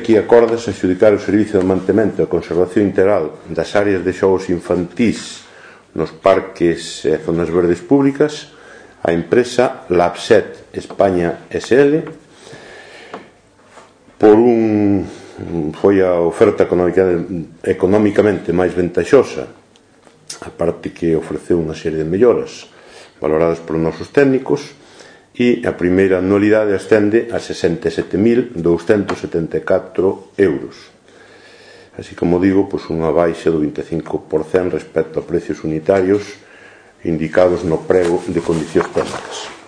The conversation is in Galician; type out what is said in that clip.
Aquí acordas adxudicar o servicio de mantemento e conservación integral das áreas de xogos infantís nos parques e zonas verdes públicas a empresa Labset España SL foi a oferta economicamente máis ventaxosa, a parte que ofreceu unha serie de melloras valoradas polos nosos técnicos, e a primeira anualidade ascende a 67.274 euros, así como digo, unha baixa do 25% respecto a precios unitarios indicados no prego de condicións técnicas.